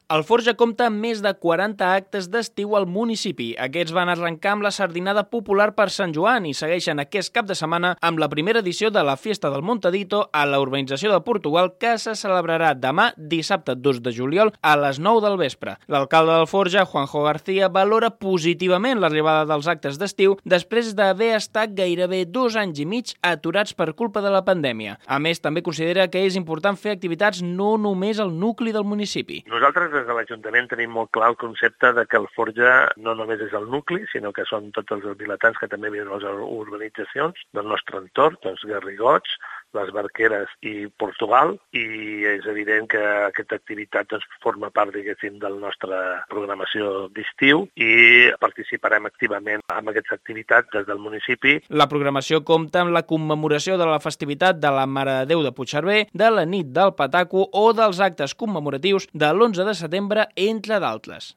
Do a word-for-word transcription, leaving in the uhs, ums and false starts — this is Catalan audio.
El Forja compta amb més de quaranta actes d'estiu al municipi. Aquests van arrencar amb la sardinada popular per Sant Joan i segueixen aquest cap de setmana amb la primera edició de la Fiesta del Montadito a la urbanització de Portugal, que se celebrarà demà, dissabte dos de juliol, a les nou del vespre. L'alcalde del Forja, Juanjo García, valora positivament l'arribada dels actes d'estiu després d'haver estat gairebé dos anys i mig aturats per culpa de la pandèmia. A més, també considera que és important fer activitats no només al nucli del municipi. Nosaltres des de l'Ajuntament tenim molt clar el concepte de que el Forja no només és el nucli, sinó que són tots els vilatans que també viuen a les urbanitzacions del nostre entorn, doncs Garrigots, les Barqueres i Portugal, i és evident que aquesta activitat doncs, forma part, diguéssim, de la nostra programació d'estiu i participarem activament en aquesta activitat des del municipi. La programació compta amb la commemoració de la festivitat de la Mare de Déu de Puigcerver, de la nit del Pataco o dels actes commemoratius de l'onze de setembre, entre d'altres.